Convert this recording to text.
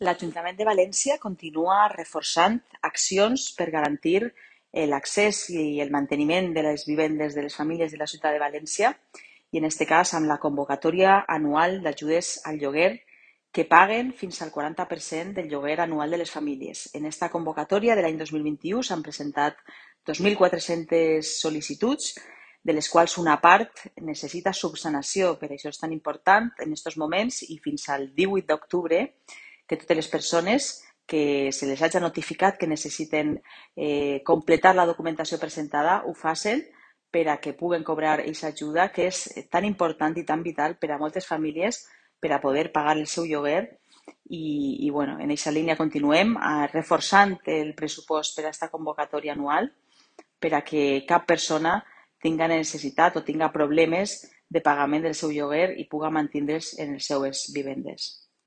L'Ajuntament de València continua reforçant accions per garantir l'accés i el manteniment de les vivendes de les famílies de la ciutat de València i en aquest cas amb la convocatòria anual d'ajudes al lloguer que paguen fins al 40% del lloguer anual de les famílies. En aquesta convocatòria de l'any 2021 s'han presentat 2.400 sol·licituds, de les quals una part necessita subsanació. Per això és tan important en aquests moments i fins al 18 d'octubre que totes les persones que se les hagi notificat que necessiten completar la documentació presentada ho facin per a que puguen cobrar aquesta ajuda que és tan important i tan vital per a moltes famílies per a poder pagar el seu lloguer i bueno, en aquesta línia continuem reforçant el pressupost per a aquesta convocatòria anual per a que cap persona tinga necessitat o tinga problemes de pagament del seu lloguer i puga mantindre's en les seues vivendes.